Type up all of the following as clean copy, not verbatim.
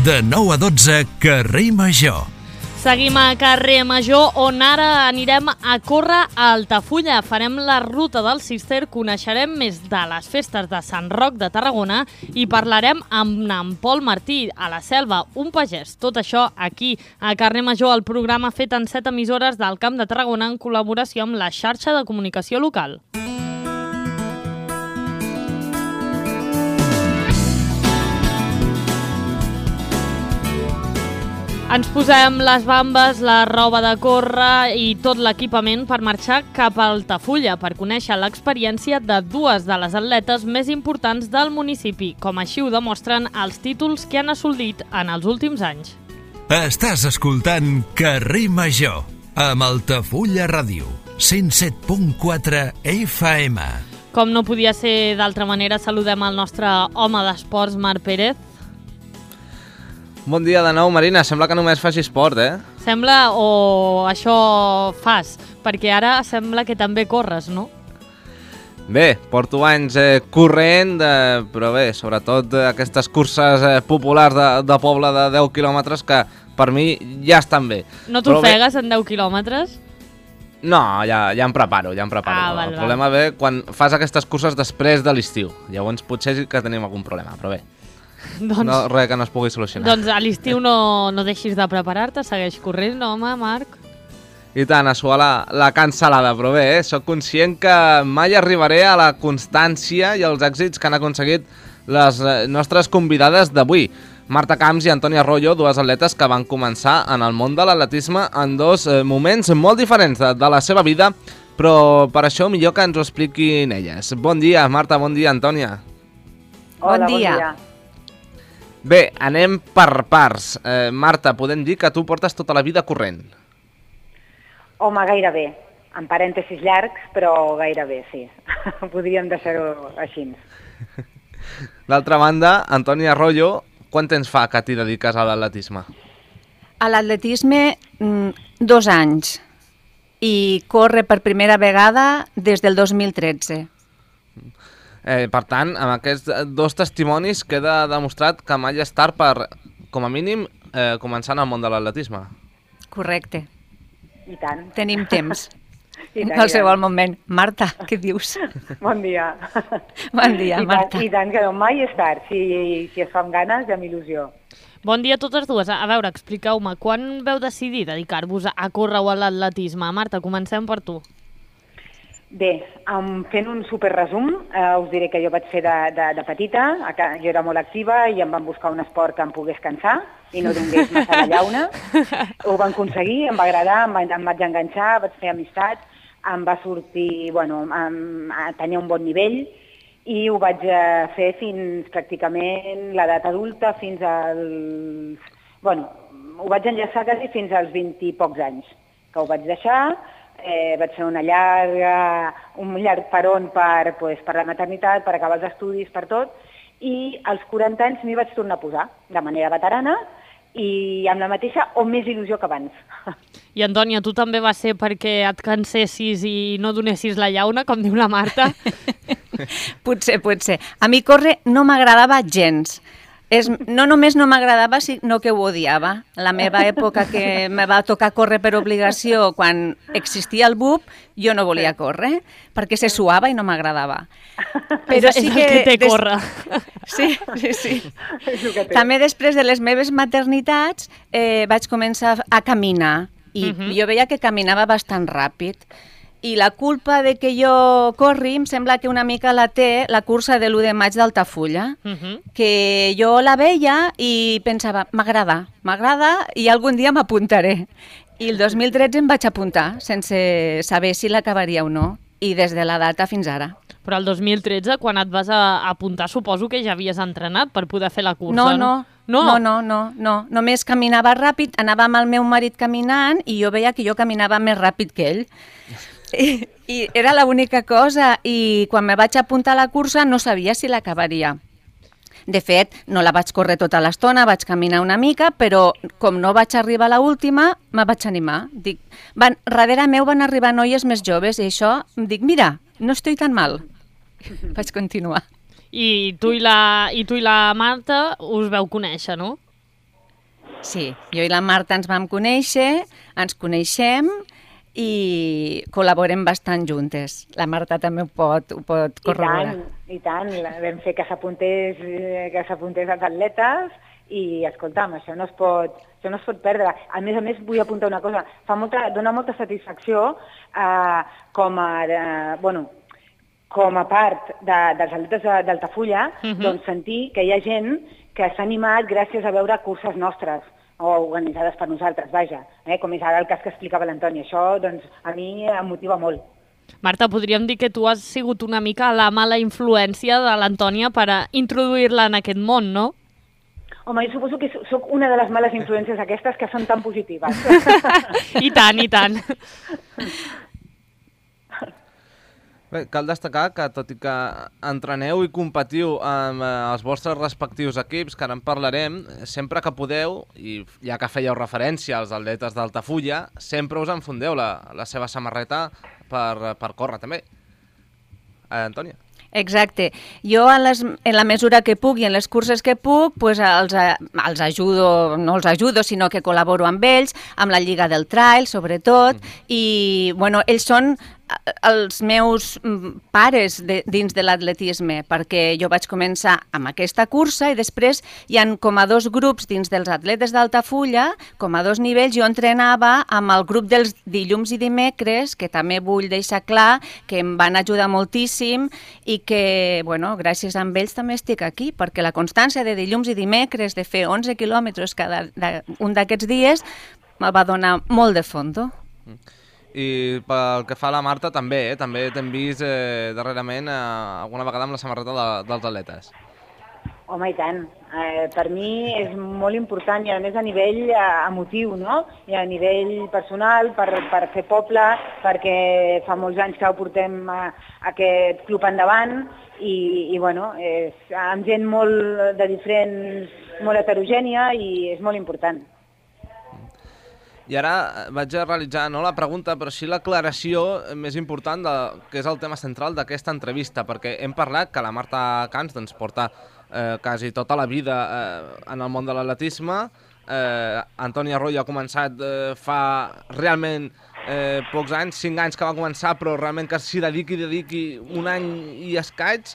De 9 a 12, carrer Major. Seguim a carrer Major, on ara anirem a córrer a Altafulla. Farem la ruta del Cister, coneixerem més de les festes de Sant Roc de Tarragona i parlarem amb en Pol Martí, a la Selva, un pagès. Tot això aquí, a carrer Major, el programa fet en 7 emissores del Camp de Tarragona en col·laboració amb la xarxa de comunicació local. Ens posem les bambes, la roba de córrer i tot l'equipament per marxar cap a Altafulla per conèixer l'experiència de dues de les atletes més importants del municipi, com així ho demostren els títols que han assolit en els últims anys. Estàs escoltant Carrer Major, amb Altafulla Ràdio, 107.4 FM. Com no podia ser d'altra manera, saludem el nostre home d'esports, Marc Pérez. Bon dia de nou, Marina. Sembla que només faci esport, Sembla, o això fas, perquè ara sembla que també corres, no? Bé, porto anys corrent, però bé, sobretot aquestes curses populars de poble de 10 quilòmetres que per mi ja estan bé. No t'ofegues en 10 quilòmetres? No, ja em preparo. El problema ve quan fas aquestes curses després de l'estiu. Llavors potser sí que tenim algun problema, però bé. No, res que no es pugui solucionar. Doncs a l'estiu no deixis de preparar-te, segueix corrent, no, home, Marc? I tant, a suar la cancel·lada, però bé, soc conscient que mai arribaré a la constància i els èxits que han aconseguit les nostres convidades d'avui. Marta Camps i Antònia Arroyo, dues atletes que van començar en el món de l'atletisme en dos moments molt diferents de la seva vida, però per això millor que ens ho expliquin elles. Bon dia, Marta, bon dia, Antònia. Hola, bon dia. Bé, anem per parts. Marta, podem dir que tu portes tota la vida corrent? Home, gairebé. En parèntesis llargs, però gairebé, sí. Podríem deixar-ho així. D'altra banda, Antònia Arroyo, quant temps fa que t'hi dediques a l'atletisme? A l'atletisme, 2 anys. I corre per primera vegada des del 2013. Per tant, amb aquests dos testimonis queda demostrat que mai és tard per, com a mínim, començar en el món de l'atletisme. Correcte. I tant. Tenim temps. En qualsevol moment. Marta, què dius? Bon dia. Bon dia, Marta. I tant, que no, mai és tard. Si es fa amb ganes i amb il·lusió. Bon dia a totes dues. A veure, expliqueu-me, quan veu decidir dedicar-vos a córrer o a l'atletisme? Marta, comencem per tu. Bé, fent un superresum, us diré que jo vaig fer de petita, jo era molt activa i em van buscar un esport que em pogués cansar i no donés massa la llauna. Ho van aconseguir, em va agradar, em vaig enganxar, vaig fer amistats, em va sortir, tenia un bon nivell i ho vaig fer fins pràcticament l'edat adulta, fins als... ho vaig enllaçar quasi fins als 20 i pocs anys, que ho vaig deixar. Vaig fer un llarg peron per la maternitat, per acabar els estudis, per tot, i als 40 anys m'hi vaig tornar a posar, de manera veterana, i amb la mateixa o més il·lusió que abans. I Antònia, tu també va ser perquè et cansessis i no donessis la llauna, com diu la Marta? Potser. A mi córrer no m'agradava gens. No només no m'agradava, sinó que ho odiava. La meva època que me va tocar córrer per obligació quan existia el BUP, jo no volia córrer, perquè se suava i no m'agradava. Però sí que té córrer. Sí. També després de les meves maternitats vaig començar a caminar i jo veia que caminava bastant ràpid. I la culpa de que jo corri em sembla que una mica la té la cursa de l'1 de maig d'Altafulla, que jo la veia i pensava, m'agrada i algun dia m'apuntaré. I el 2013 em vaig apuntar, sense saber si l'acabaria o no, i des de la data fins ara. Però el 2013, quan et vas apuntar, suposo que ja havies entrenat per poder fer la cursa, no? No. Només caminava ràpid, anava amb el meu marit caminant i jo veia que jo caminava més ràpid que ell. I era l'única cosa, i quan me vaig apuntar a la cursa no sabia si l'acabaria. De fet, no la vaig córrer tota l'estona, vaig caminar una mica, però com no vaig arribar a l'última, me vaig animar. Darrere meu van arribar noies més joves i això, em dic, mira, no estic tan mal. Vaig continuar. I tu i la Marta us veu conèixer, no? Sí, jo i la Marta ens vam conèixer, ens coneixem i col·laborem bastant juntes. La Marta també ho pot corroborar. I tant. Vam fer que s'apuntés als atletes i, escolta'm, això no es pot perdre. A més, vull apuntar una cosa. Dona molta satisfacció com a part dels atletes d'Altafulla, doncs sentir que hi ha gent que s'ha animat gràcies a veure curses nostres o organitzades per nosaltres, vaja, com és ara el cas que explicava l'Antònia. Això, doncs, a mi em motiva molt. Marta, podríem dir que tu has sigut una mica la mala influència de l'Antònia per a introduir-la en aquest món, no? Home, jo suposo que sóc una de les males influències aquestes que són tan positives. I tant, i tant. Bé, cal destacar que, tot i que entreneu i competiu amb els vostres respectius equips, que ara en parlarem, sempre que podeu, i ja que fèieu referència als atletes d'Altafulla, sempre us enfundeu la seva samarreta per córrer, també. Antònia? Exacte. Jo, en la mesura que puc i en les curses que puc, pues els ajudo, no els ajudo, sinó que col·laboro amb ells, amb la Lliga del Trail, sobretot, i bueno, ells són els meus pares dins de l'atletisme, perquè jo vaig començar amb aquesta cursa i després hi ha com a 2 grups dins dels atletes d'Altafulla, com a 2 nivells. Jo entrenava amb el grup dels dilluns i dimecres, que també vull deixar clar que em van ajudar moltíssim i que, bueno, gràcies a ells també estic aquí, perquè la constància de dilluns i dimecres de fer 11 quilòmetres cada un d'aquests dies me va donar molt de fondo. I pel que fa a la Marta també, també t'hem vist darrerament alguna vegada amb la samarreta dels atletes. Home, i tant. Per mi és molt important i a més a nivell emotiu, no? I a nivell personal, per fer poble, perquè fa molts anys que ho portem aquest club endavant i bueno, amb gent molt de diferents, molt heterogènia i és molt important. I ara vaig a realitzar no la pregunta, però sí l'aclaració més important, que és el tema central d'aquesta entrevista, perquè hem parlat que la Marta Camps doncs, porta quasi tota la vida en el món de l'atletisme. Antònia Arroyo ha començat fa realment pocs anys, 5 anys que va començar, però realment que s'hi dediqui un any i escaig.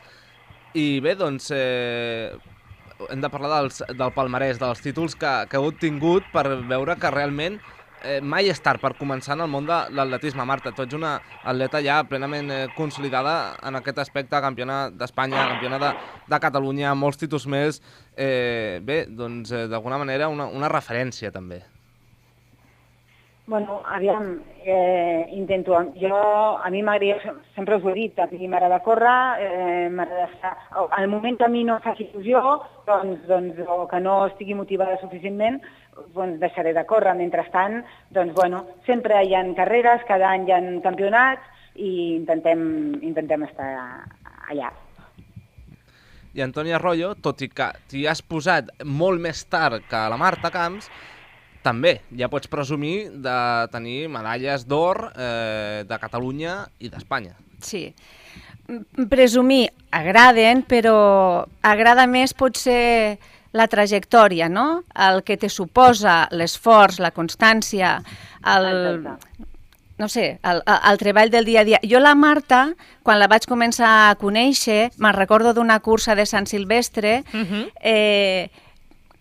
I bé, doncs hem de parlar del palmarès, dels títols que heu obtingut per veure que realment mai és tard per començar en el món de l'atletisme. Marta, tu ets una atleta ja plenament consolidada en aquest aspecte, campiona d'Espanya, campiona de Catalunya, molts títols més. Bé, doncs d'alguna manera una referència també. Bueno, aviam, intento. A mi m'agrada, sempre us ho he dit, a mi m'agrada córrer, m'agrada estar... Al moment que a mi no faci il·lusió, doncs, o que no estigui motivada suficientment, doncs deixaré de córrer. Mentrestant, doncs, bueno, sempre hi ha carreres, cada any hi ha campionats i intentem estar allà. I Antònia Arroyo, tot i que t'hi has posat molt més tard que la Marta Camps, també ja pots presumir de tenir medalles d'or de Catalunya i d'Espanya. Sí. Presumir agraden, però agrada més potser la trajectòria, no? El que te suposa l'esforç, la constància, no sé, el treball del dia a dia. Jo la Marta, quan la vaig començar a conèixer, me'n recordo d'una cursa de Sant Silvestre,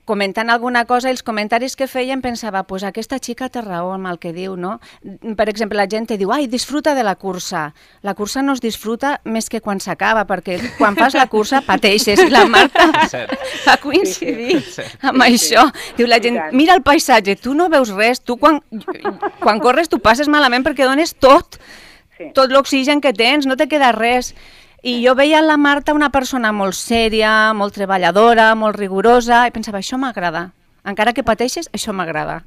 comentant alguna cosa, els comentaris que feien pensava, pues aquesta xica té raó amb el que diu, no? Per exemple, la gent te diu, ai, disfruta de la cursa. La cursa no es disfruta més que quan s'acaba, perquè quan fas la cursa pateixes. I la Marta va coincidir amb això. Diu la gent, mira el paisatge, tu no veus res, tu quan corres tu passes malament perquè dones tot l'oxigen que tens, no te queda res. I jo veia en la Marta una persona molt sèria, molt treballadora, molt rigorosa, i pensava, això m'agrada. Encara que pateixes, això m'agrada.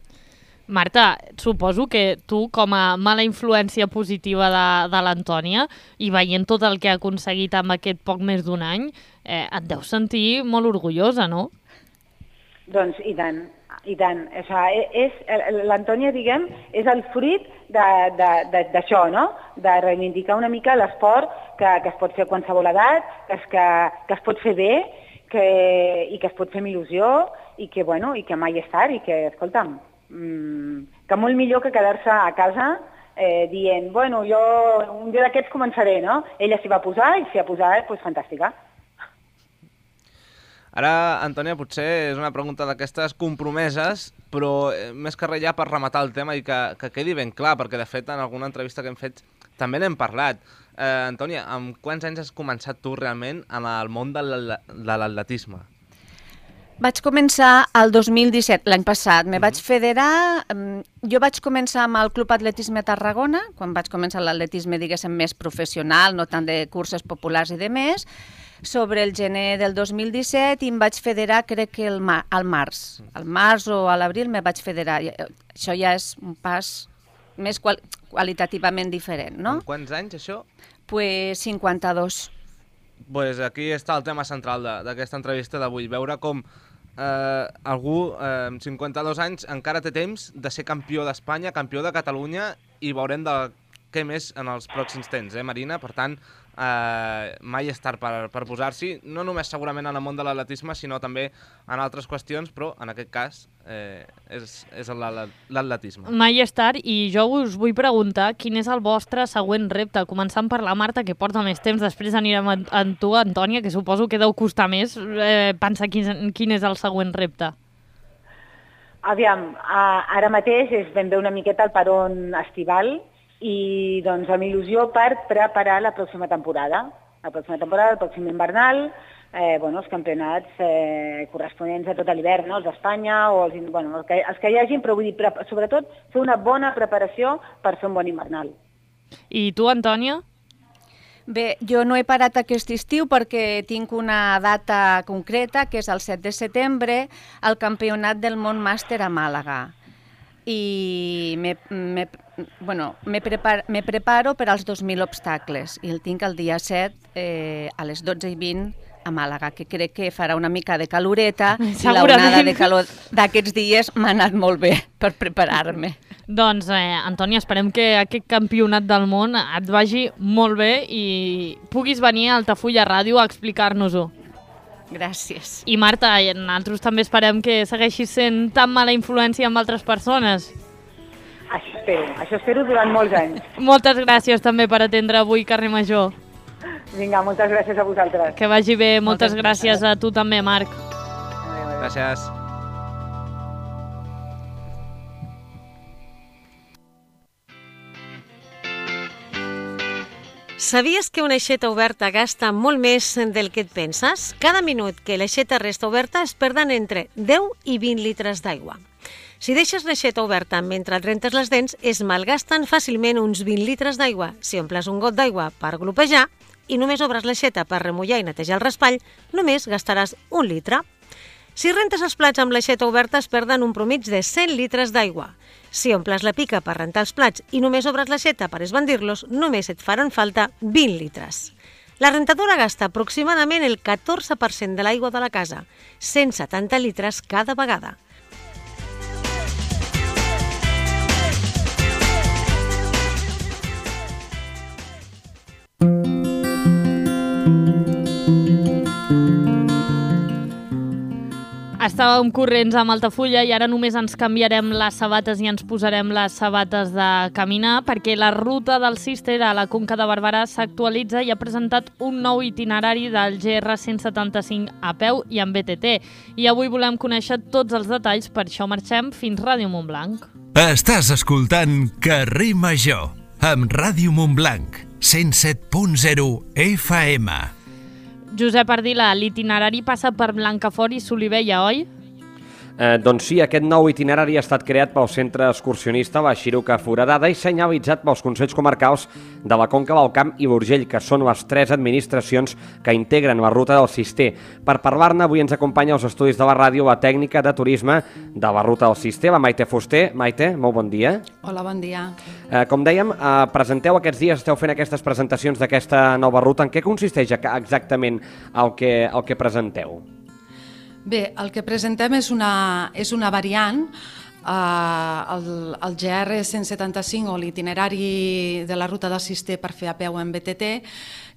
Marta, suposo que tu, com a mala influència positiva de l'Antònia, i veient tot el que ha aconseguit amb aquest poc més d'un any, et deus sentir molt orgullosa, no? Doncs i tant. I tant. L'Antònia, diguem, és el fruit d'això, no? De reivindicar una mica l'esport que es pot fer a qualsevol edat, que es pot fer bé i que es pot fer amb il·lusió i que mai és tard i que, escolta'm, que molt millor que quedar-se a casa dient, bueno, jo un dia d'aquests començaré, no? Ella s'hi va posar i s'hi ha posat, doncs fantàstica. Ara, Antònia, potser és una pregunta d'aquestes compromeses, però més que res ja per rematar el tema i que quedi ben clar, perquè de fet en alguna entrevista que hem fet també n'hem parlat. Antònia, amb quants anys has començat tu realment en el món de l'atletisme? Vaig començar el 2017, l'any passat. Me vaig federar... Jo vaig començar amb el Club Atletisme Tarragona, quan vaig començar l'atletisme, diguéssim, més professional, no tant de curses populars i de més, sobre el gener del 2017 i em vaig federar, crec que al març. Al març o a l'abril me vaig federar. Això ja és un pas més qualitativament diferent, no? En quants anys, això? Pues 52. Pues aquí està el tema central d'aquesta entrevista d'avui, veure com algú amb 52 anys encara té temps de ser campió d'Espanya, campió de Catalunya, i veurem què més en els pròxims temps, Marina? Per tant, mai és tard per posar-s'hi, no només segurament en el món de l'atletisme, sinó també en altres qüestions, però en aquest cas és l'atletisme. Mai és tard, i jo us vull preguntar quin és el vostre següent repte, començant per la Marta, que porta més temps, després anirem amb tu, Antònia, que suposo que deu costar més pensar quin és el següent repte. Aviam, ara mateix és ben bé una miqueta el peron estival, i doncs amb il·lusió per preparar la pròxima temporada. El pròxim invernal, els campionats corresponents a tot l'hivern, els d'Espanya, o els que hi hagin, però vull dir, sobretot fer una bona preparació per fer un bon invernal. I tu, Antònia? Bé, jo no he parat aquest estiu perquè tinc una data concreta, que és el 7 de setembre, al Campionat del Món Màster a Màlaga. I me preparo per als 2.000 obstacles i el tinc el dia 7 a les 12:20 a Màlaga, que crec que farà una mica de caloreta i l'onada de calor d'aquests dies m'ha anat molt bé per preparar-me. Doncs, Antònia, esperem que aquest campionat del món et vagi molt bé i puguis venir a Altafulla Ràdio a explicar-nos-ho. Gràcies. I Marta, nosaltres també esperem que segueixis sent tan mala influència amb altres persones. Això espero durant molts anys. Moltes gràcies també per atendre avui Carrer Major. Vinga, moltes gràcies a vosaltres. Que vagi bé, moltes gràcies a tu també, Marc. Gràcies. Sabies que una aixeta oberta gasta molt més del que et penses? Cada minut que l'aixeta resta oberta es perden entre 10 i 20 litres d'aigua. Si deixes l'aixeta oberta mentre et rentes les dents, es malgasten fàcilment uns 20 litres d'aigua. Si omples un got d'aigua per glopejar i només obres l'aixeta per remullar i netejar el raspall, només gastaràs 1 litre. Si rentes els plats amb l'aixeta oberta es perden un promig de 100 litres d'aigua. Si omples la pica per rentar els plats i només obres l'aixeta per esbandir-los, només et faran falta 20 litres. La rentadora gasta aproximadament el 14% de l'aigua de la casa, 170 litres cada vegada. Estàvem corrents amb Altafulla i ara només ens canviarem les sabates i ens posarem les sabates de caminar perquè la ruta del Cister a la Conca de Barberà s'actualitza i ha presentat un nou itinerari del GR 175 a peu i amb BTT. I avui volem conèixer tots els detalls, per això marxem fins Ràdio Montblanc. Estàs escoltant Carrer Major amb Ràdio Montblanc 107.0 FM. Josep Ardila, l'itinerari passa per Blancafort i Solivella, oi? Doncs sí, aquest nou itinerari ha estat creat pel Centre Excursionista La Xiruca Foradada i senyalitzat pels Consells Comarcals de la Conca del Camp i l'Urgell, que són les 3 administracions que integren la ruta del Cister. Per parlar-ne, avui ens acompanya als estudis de la ràdio la tècnica de turisme de la ruta del Cister, la Maite Fuster. Maite, molt bon dia. Hola, bon dia. Com dèiem, presenteu aquests dies, esteu fent aquestes presentacions d'aquesta nova ruta. En què consisteix exactament el que presenteu? Bé, el que presentem és una variant el GR 175 o l'itinerari de la ruta del Cister per fer a peu en BTT,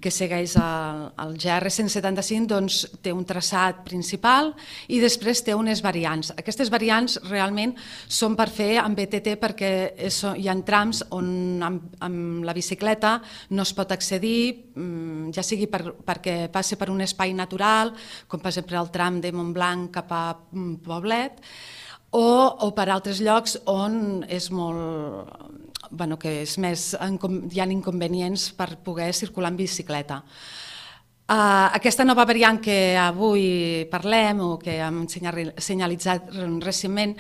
que segueix el GR 175, doncs té un traçat principal i després té unes variants. Aquestes variants realment són per fer en BTT perquè hi ha trams on amb la bicicleta no es pot accedir, ja sigui perquè passi per un espai natural, com per exemple el tram de Montblanc cap a Poblet, o per altres llocs on és molt... que és més, hi ha inconvenients per poder circular en bicicleta. Aquesta nova variant que avui parlem o que hem senyalitzat recentment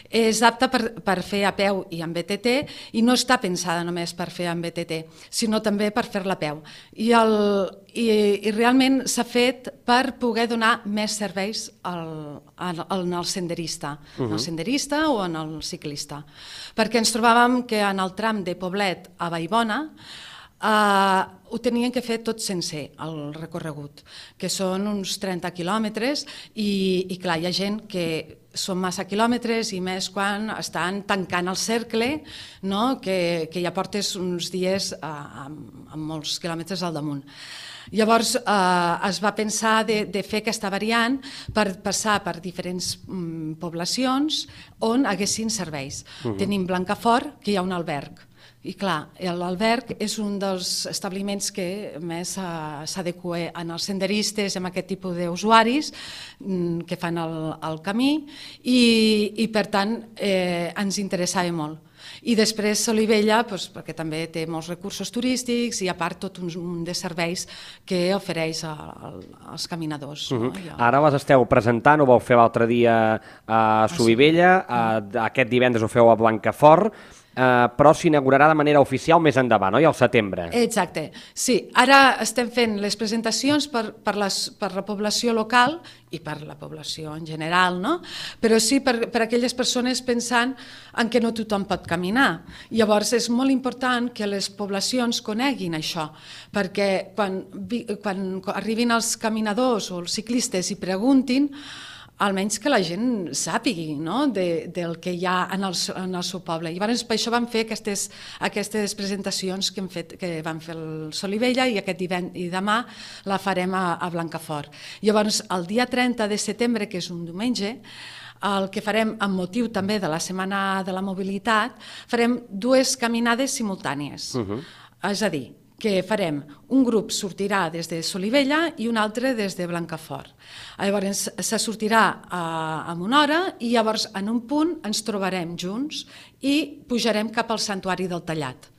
és apta per fer a peu i en BTT i no està pensada només per fer en BTT, sinó també per fer-la a peu. I realment s'ha fet per poder donar més serveis al senderista, en el senderista o en el ciclista. Perquè ens trobàvem que en el tram de Poblet a Vallbona ho tenien que fer tot sencer, el recorregut, que són uns 30 quilòmetres i clar, hi ha gent que són massa quilòmetres i més quan estan tancant el cercle, que ja portes uns dies amb molts quilòmetres al damunt. Llavors es va pensar de fer aquesta variant per passar per diferents poblacions on haguessin serveis. Tenim Blancafort, que hi ha un alberg. I clar, l'alberg és un dels establiments que més s'adequa als senderistes, amb aquest tipus d'usuaris que fan el camí i per tant ens interessava molt. I després Solivella, perquè també té molts recursos turístics i a part tot un de serveis que ofereix als caminadors. Ara les esteu presentant, ho vau fer l'altre dia a Solivella, aquest divendres ho feu a Blancafort, però s'inaugurarà de manera oficial més endavant, oi? Al setembre. Exacte, sí. Ara estem fent les presentacions per la població local i per la població en general, no? Però sí per aquelles persones pensant en què no tothom pot caminar. Llavors és molt important que les poblacions coneguin això, perquè quan arribin els caminadors o els ciclistes i preguntin, almenys que la gent sàpigui del que hi ha en el seu poble. Llavors, per això vam fer aquestes presentacions que vam fer el Solivella i demà la farem a Blancafort. Llavors, el dia 30 de setembre, que és un diumenge, el que farem amb motiu també de la Setmana de la Mobilitat, farem 2 caminades simultànies. És a dir, que farem, un grup sortirà des de Solivella i un altre des de Blancafort. Llavors se sortirà en una hora i llavors en un punt ens trobarem junts i pujarem cap al Santuari del Tallat.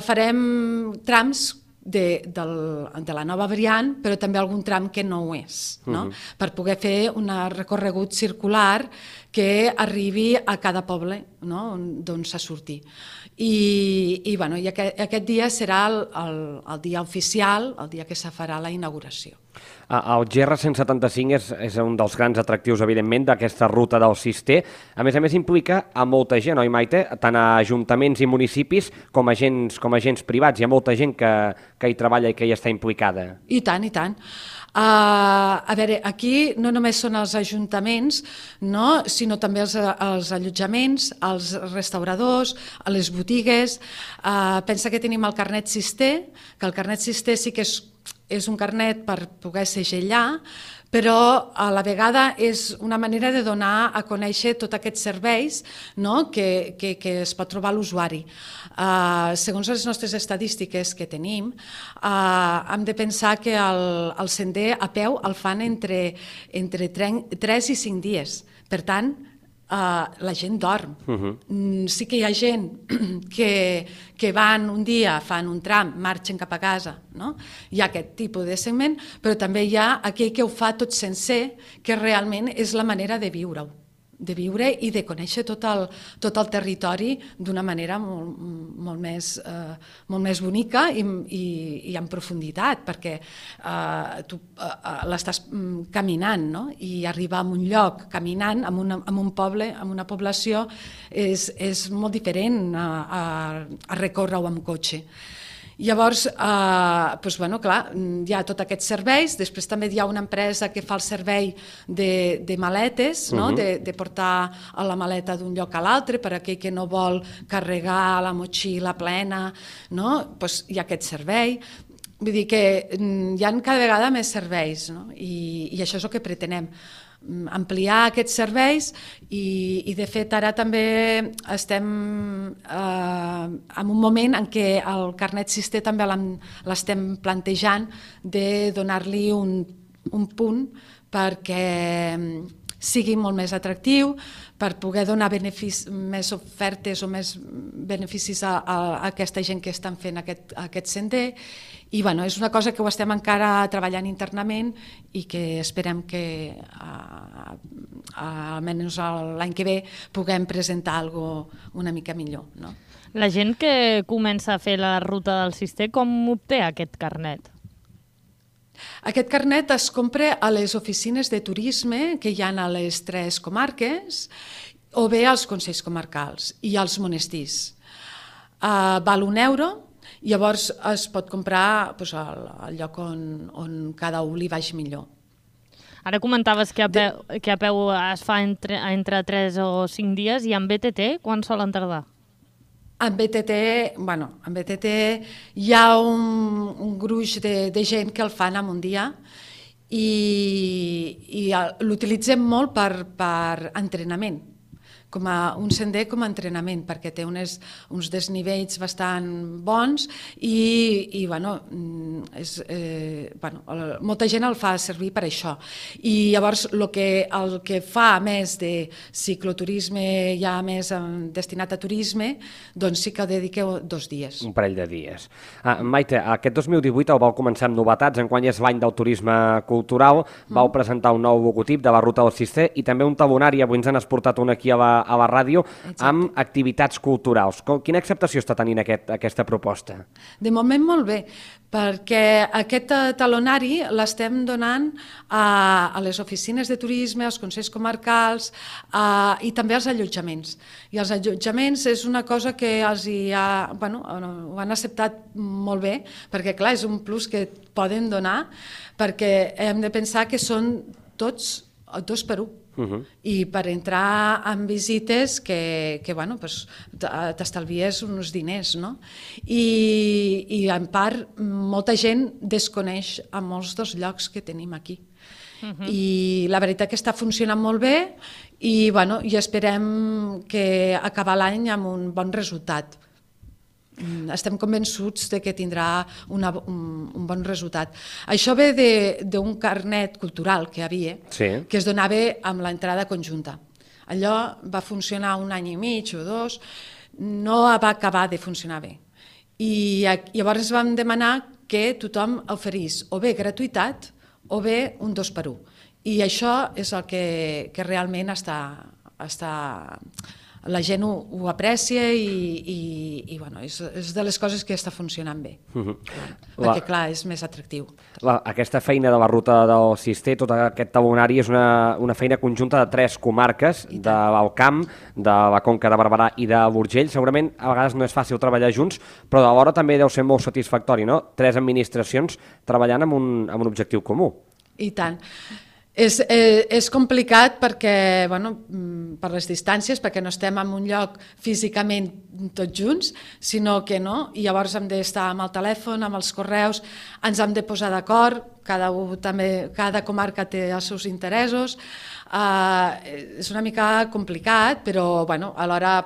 Farem trams de la nova variant, però també algun tram que no ho és, per poder fer un recorregut circular que arribi a cada poble d'on s'ha sortit. I aquest dia serà el dia oficial, el dia que se farà la inauguració. El GR 175 és un dels grans atractius, evidentment, d'aquesta ruta del Cister. A més implica a molta gent, oi, Maite? Tant a ajuntaments i municipis com a agents privats. Hi ha molta gent que hi treballa i que hi està implicada. I tant, i tant. A veure, aquí no només són els ajuntaments, sinó també els allotjaments, els restauradors, les botigues. Pensa que tenim el carnet Cister, que el carnet Cister sí que és un carnet per poder segellar, però a la vegada és una manera de donar a conèixer tots aquests serveis que es pot trobar l'usuari. Segons les nostres estadístiques que tenim, hem de pensar que el sender a peu el fan entre 3 i 5 dies. Per tant, la gent dorm. Sí que hi ha gent que van un dia, fan un tram, marxen cap a casa. Hi ha aquest tipus de segment, però també hi ha aquell que ho fa tot sencer, que realment és la manera de viure-ho. De viure i de conèixer tot el territori d'una manera molt més bonica i en profunditat, perquè tu l'estàs caminant, i arribar a un lloc caminant, a un poble, a una població, és molt diferent a recórrer-ho amb cotxe. Llavors, clar, hi ha tots aquests serveis, després també hi ha una empresa que fa el servei de maletes, no? De portar a la maleta d'un lloc a l'altre per a aquell que no vol carregar la motxilla plena, no? Pues hi ha aquest servei. Vull dir que hi ha cada vegada més serveis, no? I això és el que pretenem, ampliar aquests serveis i de fet ara també estem en un moment en què el carnet Cister també l'estem plantejant de donar-li un punt perquè sigui molt més atractiu, per poder donar més ofertes o més beneficis a aquesta gent que estan fent aquest sender. I és una cosa que ho estem encara treballant internament i que esperem que almenys l'any que ve puguem presentar alguna cosa una mica millor. No? La gent que comença a fer la ruta del Cister, com obté aquest carnet? Aquest carnet es compra a les oficines de turisme que hi ha a les 3 comarques o bé als consells comarcals i als monestirs. Val €1, llavors es pot comprar al lloc on cada un li vagi millor. Ara comentaves que a peu es fa entre 3 o 5 dies i en BTT quan solen tardar? En BTT hi ha un gruix de gent que el fan en un dia i l'utilitzem molt per entrenament, com a un sender com a entrenament, perquè té uns desnivells bastant bons i molta gent el fa servir per això. I llavors el que fa a més de cicloturisme, ja més destinat a turisme, doncs sí que dediqueu 2 dies. Un parell de dies. Maite, aquest 2018 el vau començar amb novetats, enguany és l'any del turisme cultural, vau presentar un nou logotip de la Ruta del Cister i també un talonari, avui ens han exportat un aquí a la ràdio, amb activitats culturals. Quina acceptació està tenint aquesta proposta? De moment molt bé, perquè aquest talonari l'estem donant a les oficines de turisme, als consells comarcals i també als allotjaments. I els allotjaments és una cosa que ho han acceptat molt bé, perquè clar, és un plus que poden donar, perquè hem de pensar que són tots 2 per 1. I per entrar en visites que t'estalvies uns diners, no? I en part molta gent desconeix a molts dels llocs que tenim aquí. I la veritat que està funcionant molt bé i esperem que acabar l'any amb un bon resultat. Estem convençuts de que tindrà un bon resultat. Això ve d'un carnet cultural que hi havia, que es donava amb l'entrada conjunta. Allò va funcionar 1 any i mig o 2, no va acabar de funcionar bé. I llavors vam demanar que tothom oferís o bé gratuïtat o bé un 2 per 1. I això és el que realment la gent ho aprecia i és de les coses que està funcionant bé, perquè clar, és més atractiu. Aquesta feina de la Ruta del Cister, tot aquest talonari, és una feina conjunta de 3 comarques, de l'Alt Camp, de la Conca de Barberà i de l'Urgell. Segurament a vegades no és fàcil treballar junts, però alhora també deu ser molt satisfactori, no? 3 administracions treballant amb un objectiu comú. I tant. És complicat perquè, per les distàncies, perquè no estem en un lloc físicament tots junts, sinó que no, i llavors hem d'estar amb el telèfon, amb els correus, ens hem de posar d'acord, cada comarca té els seus interessos, és una mica complicat, però alhora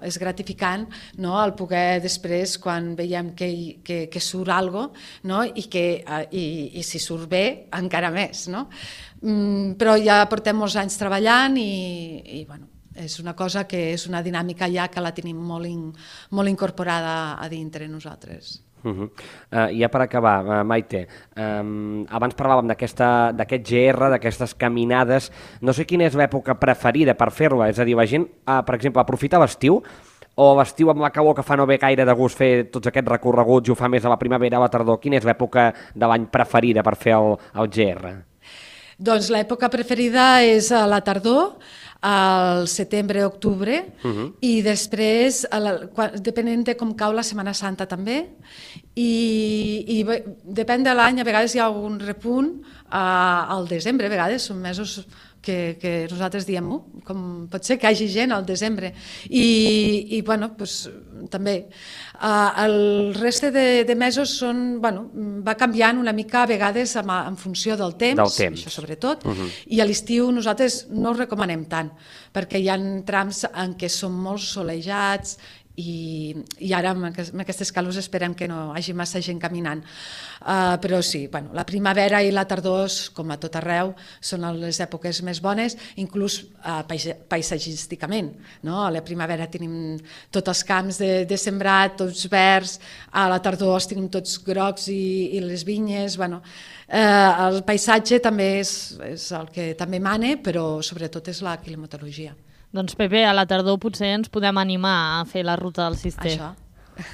és gratificant el poder després, quan veiem que surt alguna cosa, i si surt bé, encara més. Però ja portem molts anys treballant i és una cosa que és una dinàmica ja que la tenim molt incorporada a dintre nosaltres. Ja per acabar, Maite, abans parlàvem d'aquest GR, d'aquestes caminades. No sé quina és l'època preferida per fer-la, és a dir, la gent, per exemple, aprofita l'estiu, o l'estiu amb la calor que fa no ve gaire de gust fer tots aquests recorreguts i ho fa més a la primavera, a la tardor. Quina és l'època de l'any preferida per fer el GR? Doncs l'època preferida és a la tardor, al setembre-octubre i després, depenent de com cau la Setmana Santa també, i depèn de l'any, a vegades hi ha algun repunt al desembre, a vegades són mesos que nosaltres diem, com pot ser que hi hagi gent al desembre, i bueno, doncs, també el reste de mesos va canviant una mica a vegades en funció del temps, això sobretot, i a l'estiu nosaltres no ho recomanem tant, perquè hi ha trams en què són molt solejats i ara amb aquestes calors esperem que no hi hagi massa gent caminant. Però sí, la primavera i la tardor, com a tot arreu, són les èpoques més bones, inclús paisatgísticament. A la primavera tenim tots els camps de sembrat, tots verds, a la tardor els tenim tots grocs i les vinyes. El paisatge també és el que també mana, però sobretot és la climatologia. Doncs Pepe, a la tardor potser ens podem animar a fer la ruta del Cister. Això.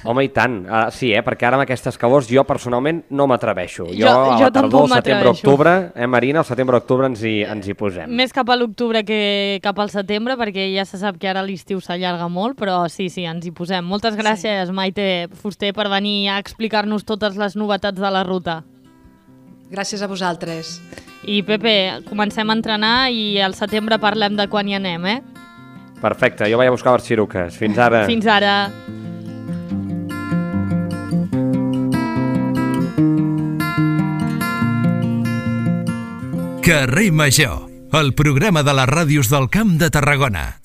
Home, i tant. Sí, perquè ara amb aquestes calors jo personalment no m'atreveixo. Jo a la tampoc tardor, setembre-octubre, Marina, al setembre-octubre ens hi posem. Més cap a l'octubre que cap al setembre, perquè ja se sap que ara l'estiu s'allarga molt, però sí, ens hi posem. Moltes gràcies, Maite Fuster, per venir a explicar-nos totes les novetats de la ruta. Gràcies a vosaltres. I Pepe, comencem a entrenar i al setembre parlem de quan hi anem, Perfecte, jo vaig a buscar les xiruques. Fins ara. Fins ara. Carrer Major, el programa de les ràdios del Camp de Tarragona.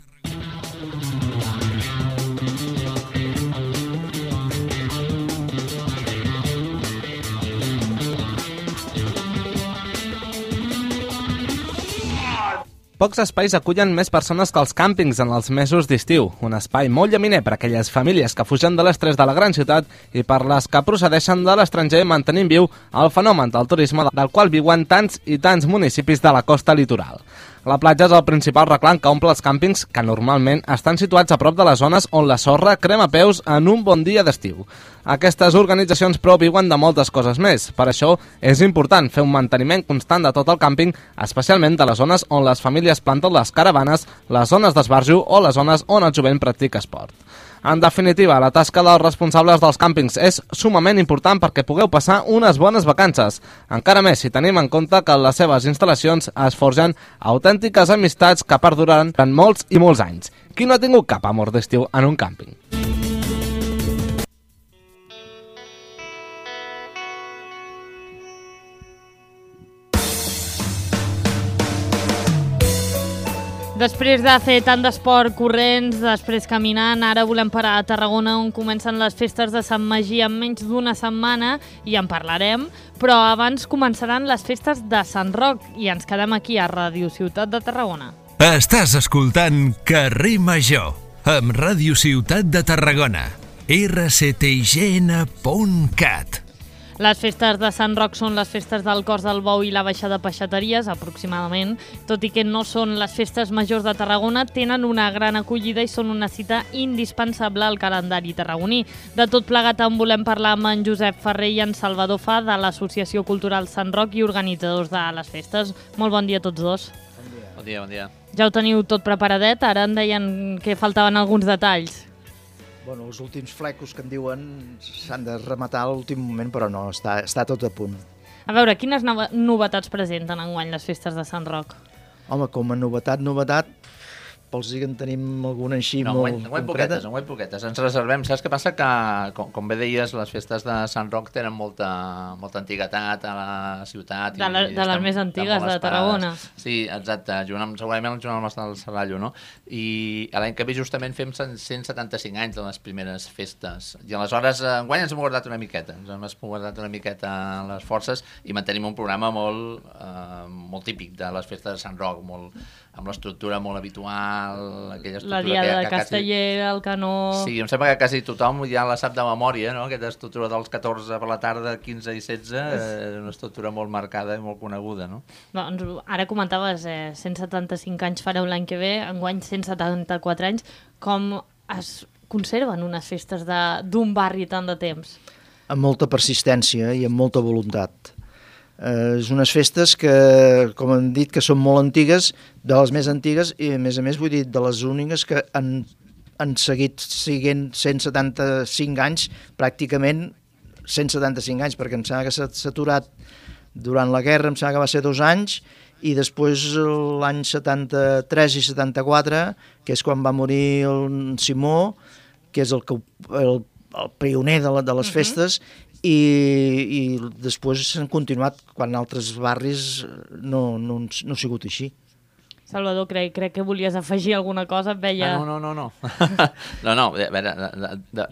Pocs espais acullen més persones que els càmpings en els mesos d'estiu. Un espai molt llaminer per a aquelles famílies que fugen de l'estrès de la gran ciutat i per les que procedeixen de l'estranger mantenint viu el fenomen del turisme del qual viuen tants i tants municipis de la costa litoral. La platja és el principal reclam que omple els càmpings que normalment estan situats a prop de les zones on la sorra crema peus en un bon dia d'estiu. Aquestes organitzacions, però, viuen de moltes coses més. Per això és important fer un manteniment constant de tot el càmping, especialment de les zones on les famílies planten les caravanes, les zones d'esbarjo o les zones on el jovent practica esport. En definitiva, la tasca dels responsables dels càmpings és sumament important perquè pugueu passar unes bones vacances. Encara més si tenim en compte que en les seves instal·lacions es forgen autèntiques amistats que perduraran durant molts i molts anys. Qui no ha tingut cap amor d'estiu en un càmping? Després de fer tant d'esport corrents, després caminant, ara volem parar a Tarragona on comencen les festes de Sant Magí en menys d'una setmana i en parlarem, però abans començaran les festes de Sant Roc i ens quedem aquí a Ràdio Ciutat de Tarragona. Estàs escoltant Carrer Major amb Ràdio Ciutat de Tarragona, rctign.cat. Les festes de Sant Roc són les festes del Cos del Bou i la Baixada Peixateries, aproximadament. Tot i que no són les festes majors de Tarragona, tenen una gran acollida i són una cita indispensable al calendari tarragoní. De tot plegat en volem parlar amb en Josep Ferrer i en Salvador Fa de l'Associació Cultural Sant Roc i organitzadors de les festes. Molt bon dia a tots dos. Bon dia, bon dia. Ja ho teniu tot preparadet, ara em deien que faltaven alguns detalls. Bueno, els últims flecos que en diuen s'han de rematar a l'últim moment, però no, està tot a punt. A veure, quines novetats presenten enguany les festes de Sant Roc? Home, com a novetat, pels que en tenim alguna així molt concreta. Enguany poquetes. Ens reservem. Saps què passa? Que, com bé deies, les festes de Sant Roc tenen molta antiguitat a la ciutat. De les més antigues de Tarragona. Sí, exacte. Segurament junt amb les del Serrallo, no? I l'any que ve justament fem 175 anys de les primeres festes. I aleshores, enguany ens hem guardat una miqueta. Les forces i mantenim un programa molt típic de les festes de Sant Roc, amb l'estructura molt habitual, aquella estructura... La diada de Castellera, el canó... Sí, em sembla que quasi tothom ja la sap de memòria, no? Aquesta estructura dels 14 per la tarda, 15 i 16, és una estructura molt marcada i molt coneguda, no? Doncs ara comentaves, 175 anys fareu l'any que ve, enguany 174 anys. Com es conserven unes festes d'un barri tant de temps? Amb molta persistència i amb molta voluntat. És unes festes que, com hem dit, que són molt antigues, de les més antigues, i a més, vull dir, de les úniques que han seguit siguent 175 anys, pràcticament 175 anys, perquè em sembla que s'ha aturat durant la guerra, em sembla que va ser 2 anys, i després l'any 73 i 74, que és quan va morir el Simó, que és el pioner de les festes, i després s'han continuat quan altres barris no ha sigut així. Salvador, crec que volies afegir alguna cosa, et veia... No. No, a veure,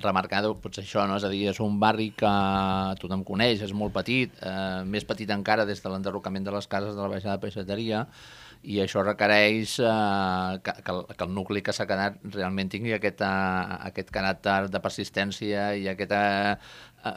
remarcar potser això, no? És a dir, és un barri que tothom coneix, és molt petit, més petit encara des de l'enderrocament de les cases de la baixada de Peixateria, i això requereix que el nucli que s'ha quedat realment tingui aquest caràcter de persistència i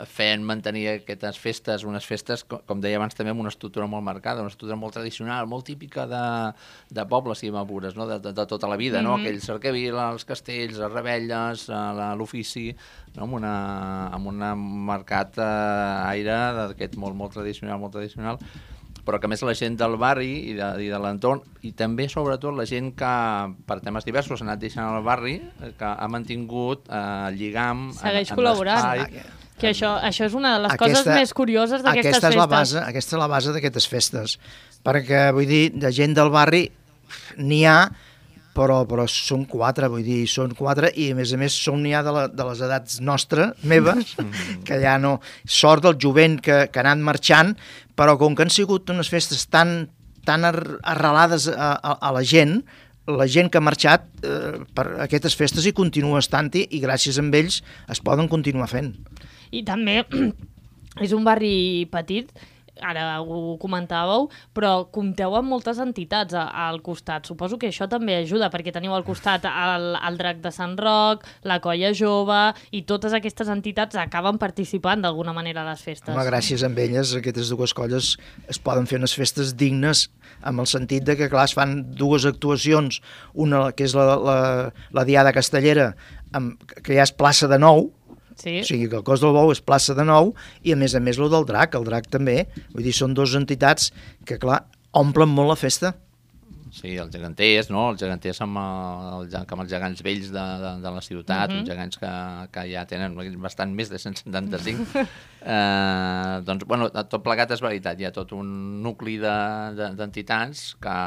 fent mantenir aquestes festes, unes festes, com deia abans també, amb una estructura molt marcada, una estructura molt tradicional, molt típica de pobles, si m'apures, no? De tota la vida, no? Aquell cercavila, els castells, les rebelles, l'ofici, no? amb un marcat aire d'aquest molt tradicional, però que més la gent del barri i de l'entorn, i també, sobretot, la gent que, per temes diversos, ha anat deixant el barri, que ha mantingut lligam... Segueix col·laborant. Que això és una de les coses més curioses d'aquestes festes. Aquesta és la base d'aquestes festes, perquè, vull dir, de gent del barri n'hi ha, però són 4, vull dir, són 4, i a més n'hi ha de les edats meves, que ja no... Sort del jovent que ha anat marxant, però com que han sigut unes festes tan arrelades a la gent que ha marxat per aquestes festes hi continua estant-hi, i gràcies a ells es poden continuar fent. I també és un barri petit, ara ho comentàveu, però compteu amb moltes entitats al costat. Suposo que això també ajuda, perquè teniu al costat el Drac de Sant Roc, la Colla Jove, i totes aquestes entitats acaben participant d'alguna manera a les festes. Home, gràcies a elles, aquestes dues colles es poden fer unes festes dignes, amb el sentit de que, clar, es fan 2 actuacions, una que és la Diada Castellera, que ja és plaça de Nou, sí. O sigui que el Cos del Bou és plaça de Nou, i a més el Drac també, vull dir, són 2 entitats que, clar, omplen molt la festa. Sí, els geganters, no? Els geganters amb els gegants vells de la ciutat, uns gegants que ja tenen bastant més de 175. Doncs, bueno, tot plegat és veritat, hi ha tot un nucli d'entitats que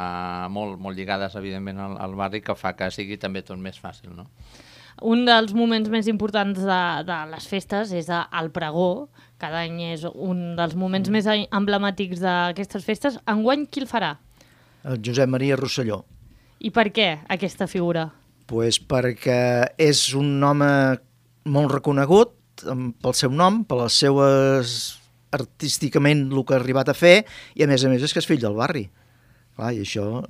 molt lligades, evidentment, al barri, que fa que sigui també tot més fàcil, no? Un dels moments més importants de les festes és el pregó. Cada any és un dels moments més emblemàtics d'aquestes festes. Enguany, qui el farà? El Josep Maria Rosselló. I per què aquesta figura? Pues perquè és un home molt reconegut pel seu nom, per les seues artísticament el que ha arribat a fer, i a més és que és fill del barri. Clar, i això...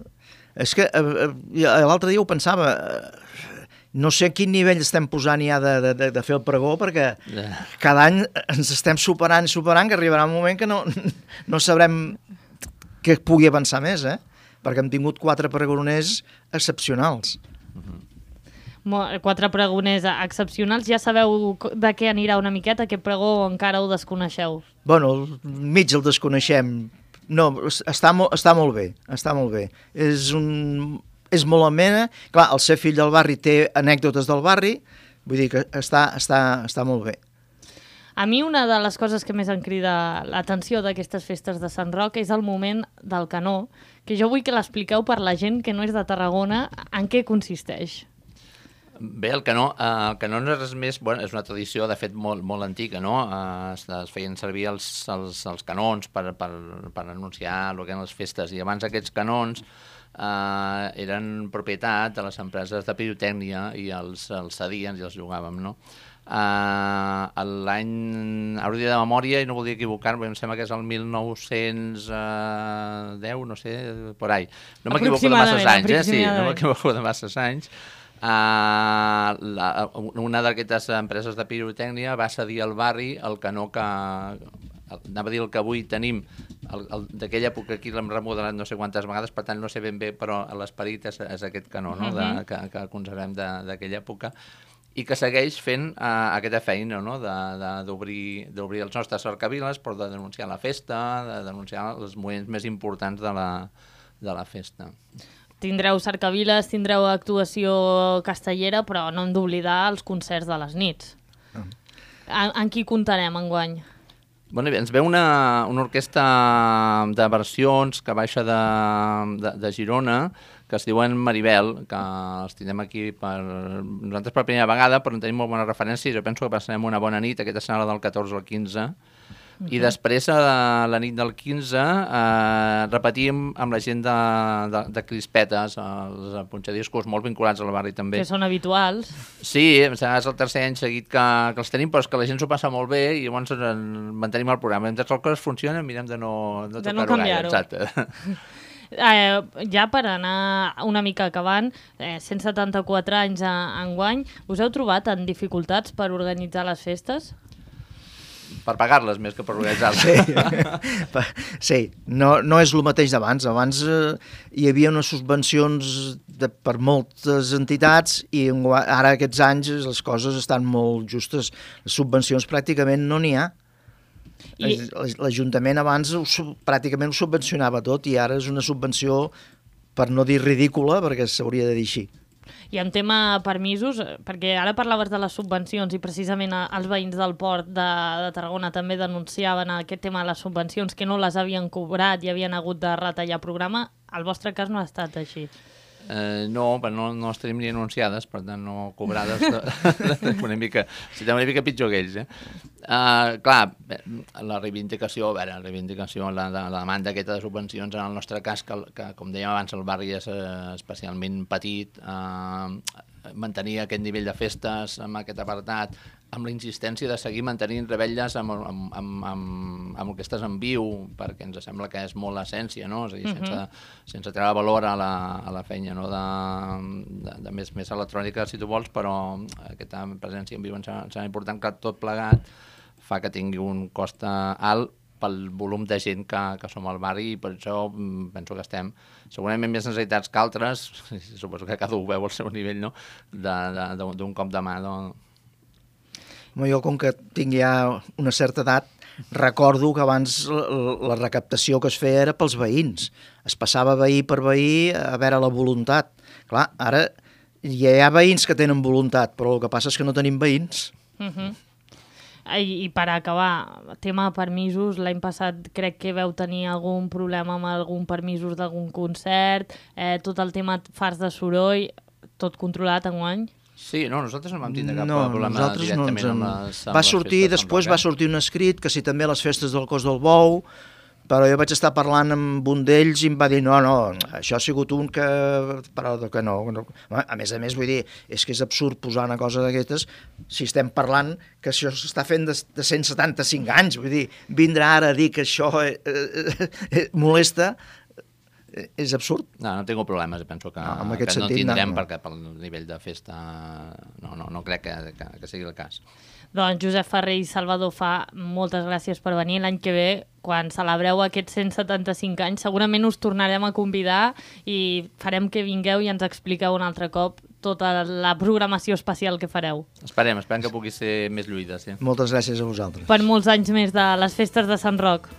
És que l'altre dia ho pensava... No sé a quin nivell estem posant ja de fer el pregó, perquè cada any ens estem superant, que arribarà un moment que no sabrem que pugui avançar més, perquè hem tingut 4 pregoners excepcionals. 4 pregoners excepcionals. Ja sabeu de què anirà una miqueta, aquest pregó, o encara ho desconeixeu? Bueno, mig el desconeixem. No, està molt bé, està molt bé. És molt amena. Clar, el ser fill del barri té anècdotes del barri, vull dir que està molt bé. A mi una de les coses que més em crida l'atenció d'aquestes festes de Sant Roc és el moment del canó, que jo vull que l'expliqueu per la gent que no és de Tarragona, en què consisteix. Bé, el canó no és res més... Bueno, és una tradició, de fet, molt antiga, no? Es feien servir els canons per anunciar el que eren les festes, i abans aquests canons eren propietat de les empreses de pirotècnia i els cedien i els jugàvem, no? L'any, hauria de memòria i no voldria equivocar-me, em sembla que és el 1910, no sé, por ahí. No m'equivoco de masses anys, sí, no m'equivoco de masses anys. Una d'aquestes empreses de pirotècnia va cedir al barri el canó que... Anava a dir el que avui tenim, d'aquella època aquí l'hem remodelat no sé quantes vegades, per tant no sé ben bé, però l'esperit és aquest canó, no? Que conservem d'aquella època. i que segueix fent aquesta feina, no? d'obrir els nostres cercaviles, però de denunciar la festa, de denunciar els moments més importants de la festa. Tindreu cercaviles, tindreu actuació castellera, però no hem d'oblidar els concerts de les nits. En qui comptarem enguany? Bé, ens ve una orquestra de versions que baixa de Girona, que es diuen Maribel, que els tindrem aquí nosaltres per primera vegada, però en tenim molt bona referència, jo penso que passarem una bona nit, aquesta serà del 14 al 15, i després, la nit del 15, repetim amb la gent de Crispetes, els punxadiscos molt vinculats al barri també. Que són habituals. Sí, és el tercer any seguit que els tenim, però és que la gent s'ho passa molt bé i llavors mantenim el programa. Mentre les coses funcionen, mirem de no tocar-ho gaire. Exacte. Ja per anar una mica acabant, 174 anys enguany, us heu trobat en dificultats per organitzar les festes? Per pagar-les més que per organitzar-les. Sí, no és el mateix d'abans. Abans hi havia unes subvencions per moltes entitats i ara aquests anys les coses estan molt justes. Les subvencions pràcticament no n'hi ha. L'Ajuntament abans pràcticament ho subvencionava tot i ara és una subvenció, per no dir ridícula, perquè s'hauria de dir així. I en tema permisos, perquè ara parlaves de les subvencions i precisament els veïns del port de Tarragona també denunciaven aquest tema de les subvencions, que no les havien cobrat i havien hagut de retallar programa. El vostre cas no ha estat així. No, però no les tenim ni anunciades, per tant no cobrades. Una mica pitjor que ells. Clar, la reivindicació, la demanda aquesta de subvencions, en el nostre cas, que com dèiem abans, el barri és especialment petit, mantenir aquest nivell de festes amb aquest apartat, amb la insistència de seguir mantenint revetlles amb orquestres en viu, perquè ens sembla que és molt l'essència, no? És a dir, sense treure valor a la feina, no? de més electrònica, si tu vols, però aquesta presència en viu ens sembla important, que tot plegat fa que tingui un cost alt pel volum de gent que som al barri, i per això penso que estem segurament més necessitats que altres, suposo que cada un veu al seu nivell, no? d'un cop de mà. Jo, com que tinc ja una certa edat, recordo que abans la recaptació que es feia era pels veïns. Es passava veí per veí a veure la voluntat. Clar, ara ja hi ha veïns que tenen voluntat, però el que passa és que no tenim veïns. I per acabar, tema de permisos, l'any passat crec que veu tenir algun problema amb algun permisos d'algun concert, tot el tema fars de soroll, tot controlat enguany? Sí, no, nosaltres no vam tindre cap problema directament amb les Després va sortir un escrit que si també a les festes del Cos del Bou, però jo vaig estar parlant amb un d'ells i em va dir no, això ha sigut un que... però que no. A més, vull dir, és que és absurd posar una cosa d'aquestes si estem parlant que això s'està fent de 175 anys, vull dir, vindrà ara a dir que això molesta... És absurd. No tinc problemes, penso que no tindrem perquè pel nivell de festa no crec que sigui el cas. Doncs Josep Ferrer i Salvador Fa, moltes gràcies per venir. L'any que ve, quan celebreu aquests 175 anys, segurament us tornarem a convidar i farem que vingueu i ens expliqueu un altre cop tota la programació especial que fareu. Esperem que pugui ser més lluïda. Sí. Moltes gràcies a vosaltres. Per molts anys més de les festes de Sant Roc.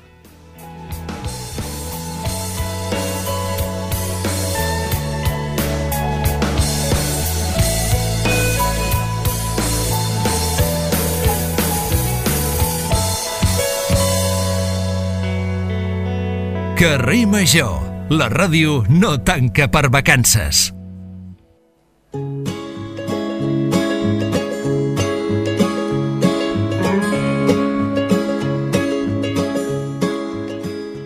Carrer Major, la ràdio no tanca per vacances.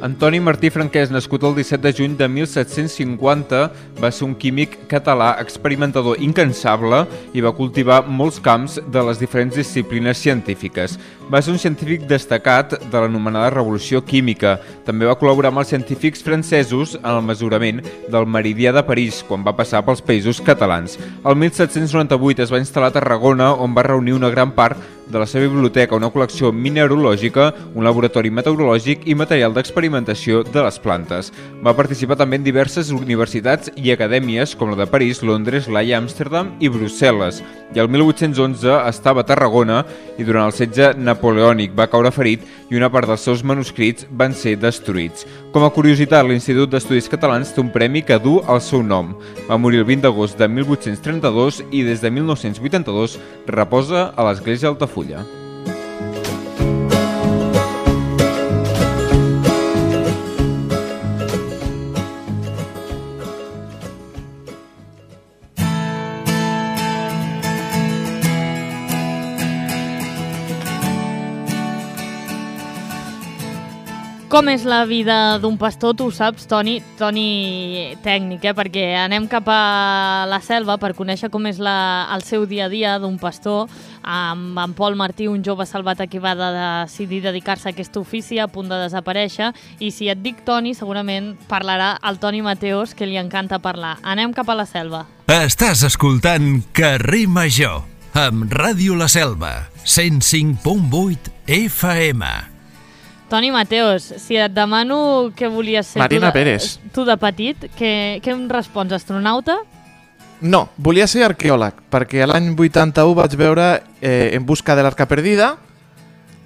Antoni Martí Franquès, nascut el 17 de juny de 1750, va ser un químic català experimentador incansable i va cultivar molts camps de les diferents disciplines científiques. Va ser un científic destacat de l'anomenada Revolució Química. També va col·laborar amb els científics francesos en el mesurament del meridià de París, quan va passar pels països catalans. El 1798 es va instal·lar a Tarragona, on va reunir una gran part de la seva biblioteca una col·lecció mineralògica, un laboratori meteorològic i material d'experimentació de les plantes. Va participar també en diverses universitats i acadèmies com la de París, Londres, l'Haia, Amsterdam i Brussel·les. I el 1811 estava a Tarragona i durant el setge napoleònic va caure ferit i una part dels seus manuscrits van ser destruïts. Com a curiositat, l'Institut d'Estudis Catalans té un premi que du el seu nom. Va morir el 20 d'agost de 1832 i des de 1982 reposa a l'Església d'Altafulla. Com és la vida d'un pastor, tu ho saps, Toni tècnic, perquè anem cap a la selva per conèixer com és el seu dia a dia d'un pastor, amb en Pol Martí, un jove salvat que va decidir dedicar-se a aquest ofici a punt de desaparèixer, i si et dic Toni, segurament parlarà el Toni Mateos, que li encanta parlar. Anem cap a la selva. Estàs escoltant Carrer Major, amb Ràdio La Selva, 105.8 FM. Toni Mateos, si et demano què volies ser Marina Pérez. Tu de petit, què em respons, astronauta? No, volia ser arqueòleg, perquè l'any 81 vaig veure En busca de l'arca perdida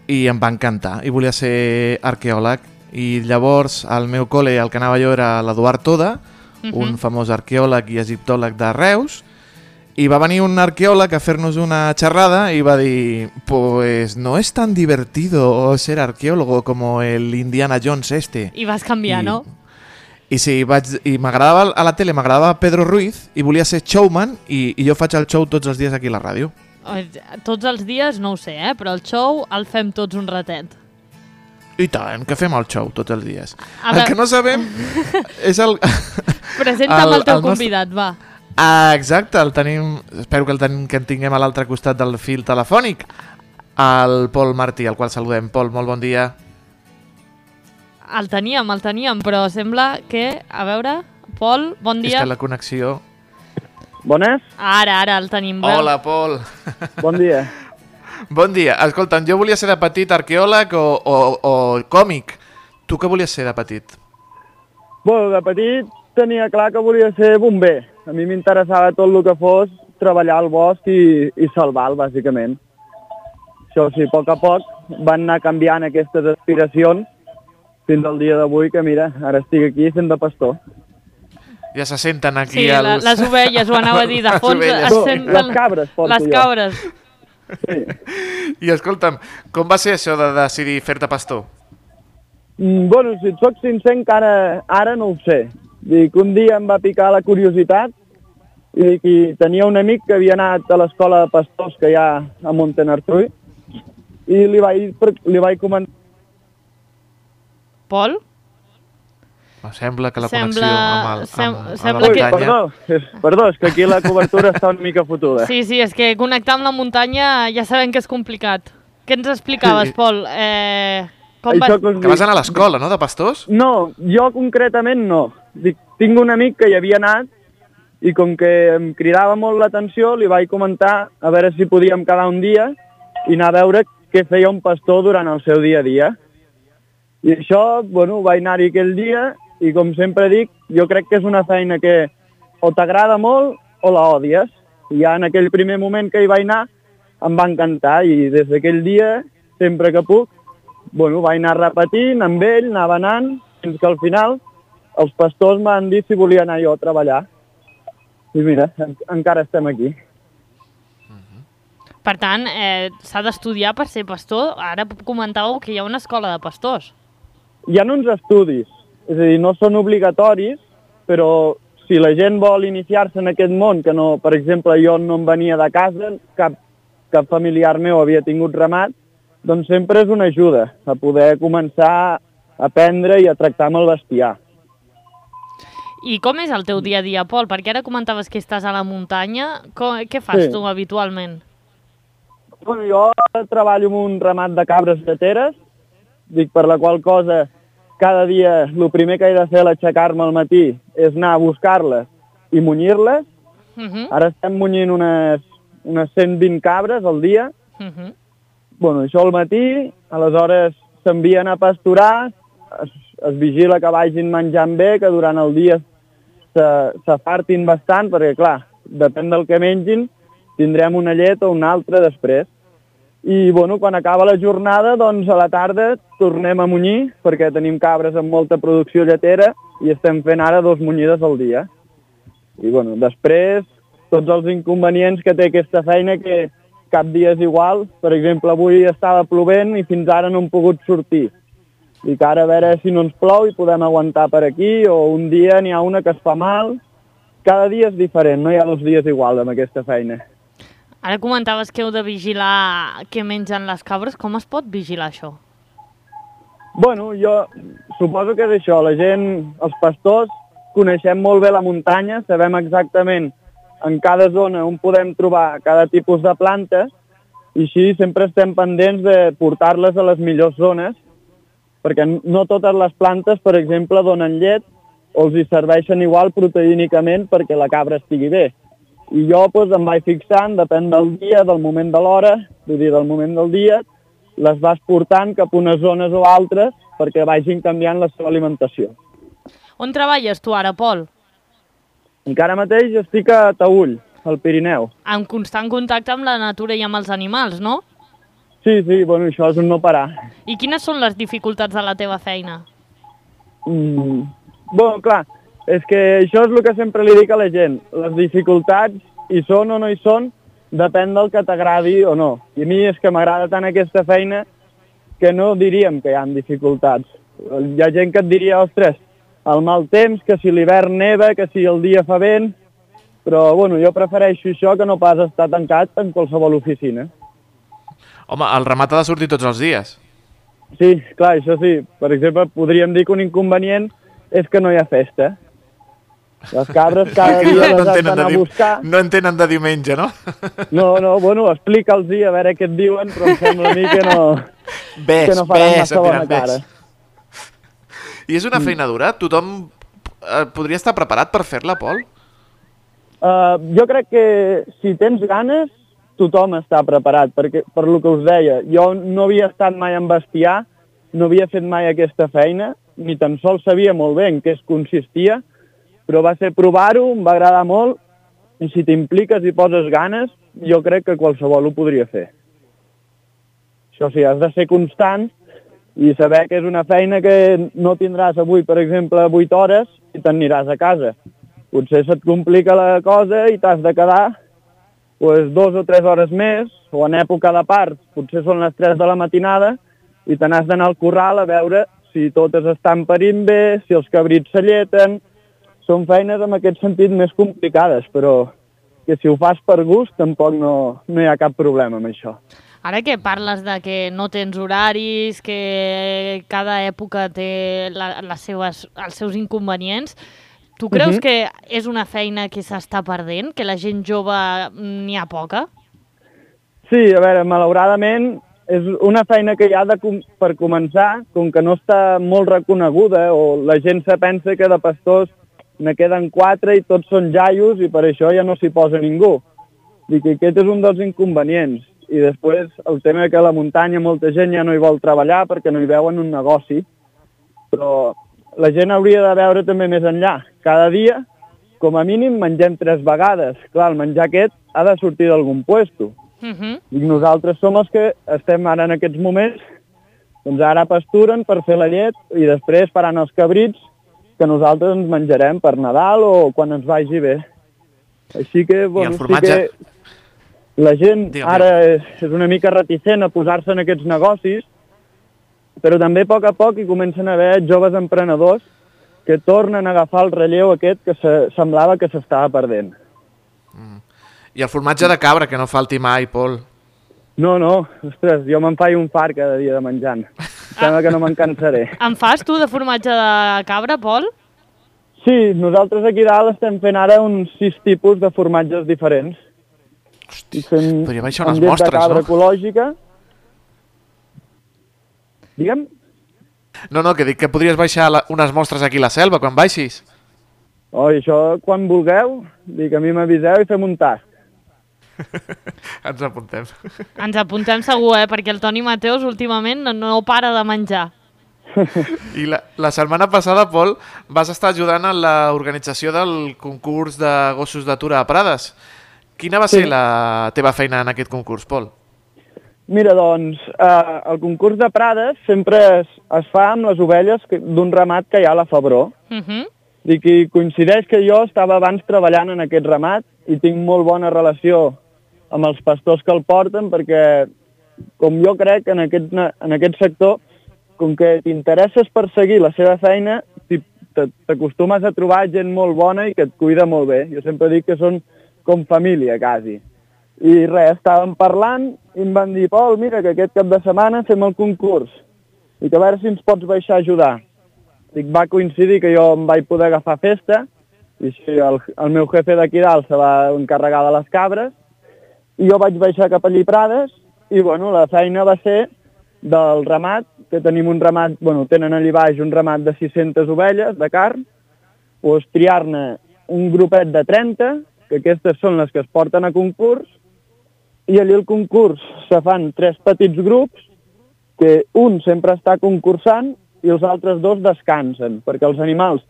i em va encantar, i volia ser arqueòleg. I llavors al meu col·le, al que anava jo, era l'Eduard Toda, un famós arqueòleg i egiptòleg de Reus, i va venir un arqueòleg a fer-nos una xerrada i va dir, pues no es tan divertido ser arqueólogo como el Indiana Jones este. I vas canviar, no? I sí, i m'agradava a la tele, m'agradava Pedro Ruiz i volia ser showman i jo faig el show tots els dies aquí a la ràdio. Tots els dies no ho sé, però el show el fem tots un ratet. I tant, que fem el show tots els dies. El que no sabem és el... Presenta'm el teu convidat, va. Exacte, el tenim, espero que en tinguem a l'altre costat del fil telefònic, el Pol Martí, al qual saludem. Pol, molt bon dia. El teníem, però sembla que... A veure, Pol, bon dia. És que la connexió... Bones? Ara el tenim. Hola, Pol. Bon dia. Bon dia. Escolta'm, jo volia ser de petit arqueòleg o còmic. Tu què volies ser de petit? Bueno, de petit tenia clar que volia ser bomber. A mi m'interessava tot el que fos treballar al bosc i salvar-lo, bàsicament. Això sí, a poc van anar canviant aquestes aspiracions fins al dia d'avui, que mira, ara estic aquí sent de pastor. Ja se senten aquí sí, els... les ovelles, ho anava a dir, de fons es senten... Les cabres, les cabres. Sí. I escolta'm, com va ser això de decidir fer-te pastor? Bueno, si et soc sincer, encara ara no ho sé. Dic, un dia em va picar la curiositat i tenia un amic que havia anat a l'escola de pastors que hi ha a Montenartrui i li vaig comentar... Pol? Sembla que la connexió amb la muntanya... Perdó, és que aquí la cobertura està una mica fotuda. Sí, és que connectar amb la muntanya ja sabem que és complicat. Què ens explicaves, Pol? Que vas anar a l'escola, no, de pastors? No, jo concretament no. Tinc un amic que hi havia anat i com que em cridava molt l'atenció li vaig comentar a veure si podíem quedar un dia i anar a veure què feia un pastor durant el seu dia a dia. I això, bueno, vaig anar-hi aquell dia i com sempre dic, jo crec que és una feina que o t'agrada molt o la odies. I ja en aquell primer moment que hi vaig anar em va encantar i des d'aquell dia, sempre que puc, bueno, vaig anar repetint amb ell, anava anant, fins que al final els pastors m'han dit si volia anar jo a treballar. I mira, encara estem aquí. Per tant, s'ha d'estudiar per ser pastor. Ara comentàveu que hi ha una escola de pastors. Hi ha uns estudis, és a dir, no són obligatoris, però si la gent vol iniciar-se en aquest món, que no, per exemple, jo no em venia de casa, cap familiar meu havia tingut ramat, doncs sempre és una ajuda a poder començar a aprendre i a tractar amb el bestiar. I com és el teu dia a dia, Pol? Perquè ara comentaves que estàs a la muntanya. Què fas tu habitualment? Bueno, jo treballo amb un ramat de cabres lleteres, dic per la qual cosa cada dia el primer que he de fer a l'aixecar-me al matí és anar a buscar-les i munyir-les. Ara estem munyint unes 120 cabres al dia això al matí, aleshores s'envien a pasturar, es vigila que vagin menjant bé, que durant el dia s'afartin bastant, perquè clar, depèn del que mengin, tindrem una llet o una altra després. I quan acaba la jornada, doncs a la tarda tornem a munyir, perquè tenim cabres amb molta producció lletera i estem fent ara 2 munyides al dia. I després, tots els inconvenients que té aquesta feina, que cap dia és igual. Per exemple, avui estava plovent i fins ara no hem pogut sortir. I que ara a veure si no ens plou i podem aguantar per aquí, o un dia n'hi ha una que es fa mal. Cada dia és diferent, no hi ha 2 dies igual amb aquesta feina. Ara comentaves que heu de vigilar què mengen les cabres. Com es pot vigilar això? Jo suposo que és això. La gent, els pastors, coneixem molt bé la muntanya, sabem exactament en cada zona on podem trobar cada tipus de plantes i així sempre estem pendents de portar-les a les millors zones, perquè no totes les plantes, per exemple, donen llet o els hi serveixen igual proteínicament perquè la cabra estigui bé. I jo em vaig fixant, depèn del dia, del moment de l'hora, vull dir, del moment del dia, les vas portant cap a unes zones o altres perquè vagin canviant la seva alimentació. On treballes tu ara, Pol? Encara mateix estic a Taüll, al Pirineu. En constant contacte amb la natura i amb els animals, no? Sí, això és un no parar. I quines són les dificultats de la teva feina? Clar, és que això és el que sempre li dic a la gent. Les dificultats, hi són o no hi són, depèn del que t'agradi o no. I a mi és que m'agrada tant aquesta feina que no diríem que hi ha dificultats. Hi ha gent que et diria, ostres, el mal temps, que si l'hivern neva, que si el dia fa vent, però jo prefereixo això que no pas estar tancat en qualsevol oficina. Home, el ramat ha de sortir tots els dies. Sí, clar, això sí. Per exemple, podríem dir que un inconvenient és que no hi ha festa. Les cabres cada dia les has d'anar a buscar. No en tenen de diumenge, no? No, explica'ls-hi a veure què et diuen, però em sembla a mi que no faran massa bona cara. I és una feina dura? Tothom podria estar preparat per fer-la, Pol? Jo crec que si tens ganes, tothom està preparat, perquè per lo que us deia, jo no havia estat mai en bestiar, no havia fet mai aquesta feina, ni tan sols sabia molt bé en què es consistia, però va ser provar-ho, em va agradar molt, i si t'impliques i poses ganes, jo crec que qualsevol ho podria fer. Això sí, has de ser constant i saber que és una feina que no tindràs avui, per exemple, 8 hores i te'n aniràs a casa. Potser se't complica la cosa i t'has de quedar 2 o 3 hores més, o en època de part, potser són les 3 de la matinada, i te n'has d'anar al corral a veure si totes estan parint bé, si els cabrits s'alleten. Són feines en aquest sentit més complicades, però que si ho fas per gust tampoc no hi ha cap problema amb això. Ara que parles de que no tens horaris, que cada època té els seus inconvenients, tu creus que és una feina que s'està perdent, que la gent jove n'hi ha poca? Sí, a veure, malauradament és una feina que hi ha per començar, com que no està molt reconeguda, o la gent se pensa que de pastors ne queden 4 i tots són jaios i per això ja no s'hi posa ningú. Dic que aquest és un dels inconvenients. I després el tema que a la muntanya molta gent ja no hi vol treballar perquè no hi veuen un negoci, però la gent hauria de veure també més enllà. Cada dia, com a mínim, mengem 3 vegades. Clar, el menjar aquest ha de sortir d'algun puesto. I nosaltres som els que estem ara en aquests moments, doncs ara pasturen per fer la llet i després faran els cabrits que nosaltres ens menjarem per Nadal o quan ens vagi bé. Així que, bueno, sí que la gent ara és una mica reticent a posar-se en aquests negocis, però també a poc hi comencen a haver joves emprenedors que tornen a agafar el relleu aquest que semblava que s'estava perdent. I el formatge de cabra, que no falti mai, Pol. No, ostres, jo me'n faig un fart cada dia de menjant. Sembla que no me'n cansaré. En fas tu de formatge de cabra, Pol? Sí, nosaltres aquí dalt estem fent ara uns 6 tipus de formatges diferents. Hosti, podria baixar unes mostres, no? Amb llet de cabra ecològica. Digue'm? No, que dic que podries baixar unes mostres aquí a la selva quan baixis. Això quan vulgueu, dic a mi m'aviseu i fem un tast. Ens apuntem. Ens apuntem segur, perquè el Toni Mateos últimament no para de menjar. I la setmana passada, Pol, vas estar ajudant en l'organització del concurs de gossos d'atura a Prades. Quina va ser la teva feina en aquest concurs, Pol? Mira, doncs, el concurs de Prades sempre es fa amb les ovelles d'un ramat que hi ha a la Febró. I que coincideix que jo estava abans treballant en aquest ramat i tinc molt bona relació amb els pastors que el porten perquè, com jo crec, en aquest sector, com que t'interesses per seguir la seva feina, t'acostumes a trobar gent molt bona i que et cuida molt bé. Jo sempre dic que són com família, quasi. I res, estàvem parlant i em van dir, Pol, mira, que aquest cap de setmana fem el concurs i que a veure si ens pots baixar a ajudar. Dic, va coincidir que jo em vaig poder agafar festa i sí, el meu jefe d'aquí dalt se va encarregar de les cabres i jo vaig baixar cap allí Prades i, bueno, la feina va ser del ramat, que tenim un ramat, bueno, tenen allà baix un ramat de 600 ovelles de carn, doncs triar-ne un grupet de 30, que aquestes són les que es porten a concurs, i allà al concurs se fan 3 petits grups, que un sempre està concursant i els altres 2 descansen, perquè els animals...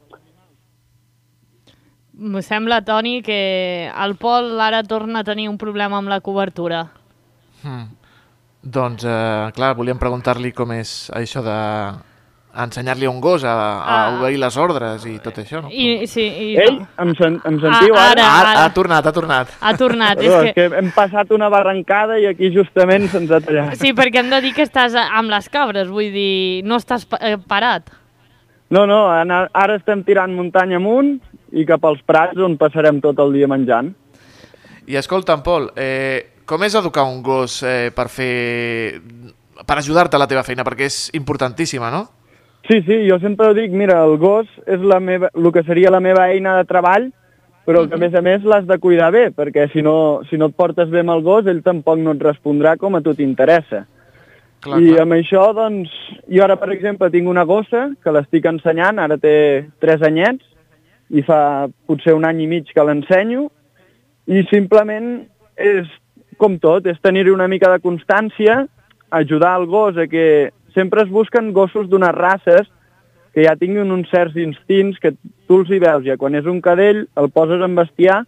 Em sembla, Toni, que el Pol ara torna a tenir un problema amb la cobertura. Doncs, clar, volíem preguntar-li com és això d'ensenyar-li a un gos a obeir les ordres i tot això, no? Ei, em sentiu ara? Ha tornat. Ha tornat. És que hem passat una barrancada i aquí justament se'ns ha tallat. Sí, perquè hem de dir que estàs amb les cabres, vull dir, no estàs parat. No, ara estem tirant muntanya amunt i cap als prats on passarem tot el dia menjant. I escolta'm, Pol, com és educar un gos per ajudar-te a la teva feina? Perquè és importantíssima, no? Sí, jo sempre dic, mira, el gos és el que seria la meva eina de treball, però que a més l'has de cuidar bé, perquè si no et portes bé amb el gos, ell tampoc no et respondrà com a tu t'interessa. I amb això, doncs, jo ara, per exemple, tinc una gossa que l'estic ensenyant, ara té 3 anyets, i fa potser 1 any i mig que l'ensenyo, i simplement és com tot, és tenir-hi una mica de constància, ajudar el gos a que sempre es busquen gossos d'unes races que ja tinguin uns certs instints que tu els hi veus, ja quan és un cadell el poses en bestiar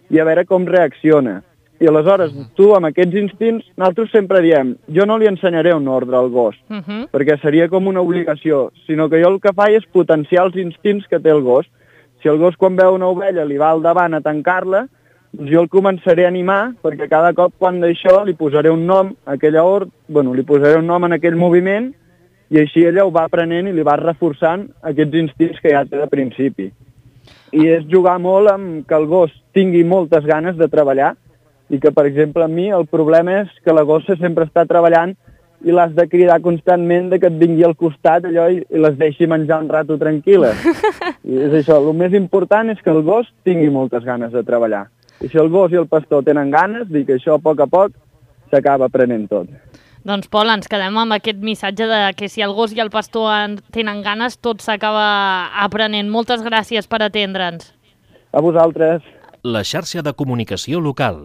i a veure com reacciona. I aleshores, tu amb aquests instints, nosaltres sempre diem, jo no li ensenyaré un ordre al gos, perquè seria com una obligació, sinó que jo el que faig és potenciar els instints que té el gos. Si el gos quan veu una ovella li va al davant a tancar-la, jo el començaré a animar perquè cada cop quan d'això li posaré un nom a aquella li posaré un nom en aquell moviment i així ella ho va aprenent i li va reforçant aquests instints que ja té de principi. I és jugar molt amb que el gos tingui moltes ganes de treballar i que, per exemple, a mi el problema és que la gossa sempre està treballant i l'has de cridar constantment que et vingui al costat allò i les deixi menjar un rato tranquil·la. I és això, el més important és que el gos tingui moltes ganes de treballar. I si el gos i el pastor tenen ganes, dic que això a poc s'acaba aprenent tot. Doncs, Pol, ens quedem amb aquest missatge de que si el gos i el pastor tenen ganes, tot s'acaba aprenent. Moltes gràcies per atendre'ns. A vosaltres. La xarxa de comunicació local.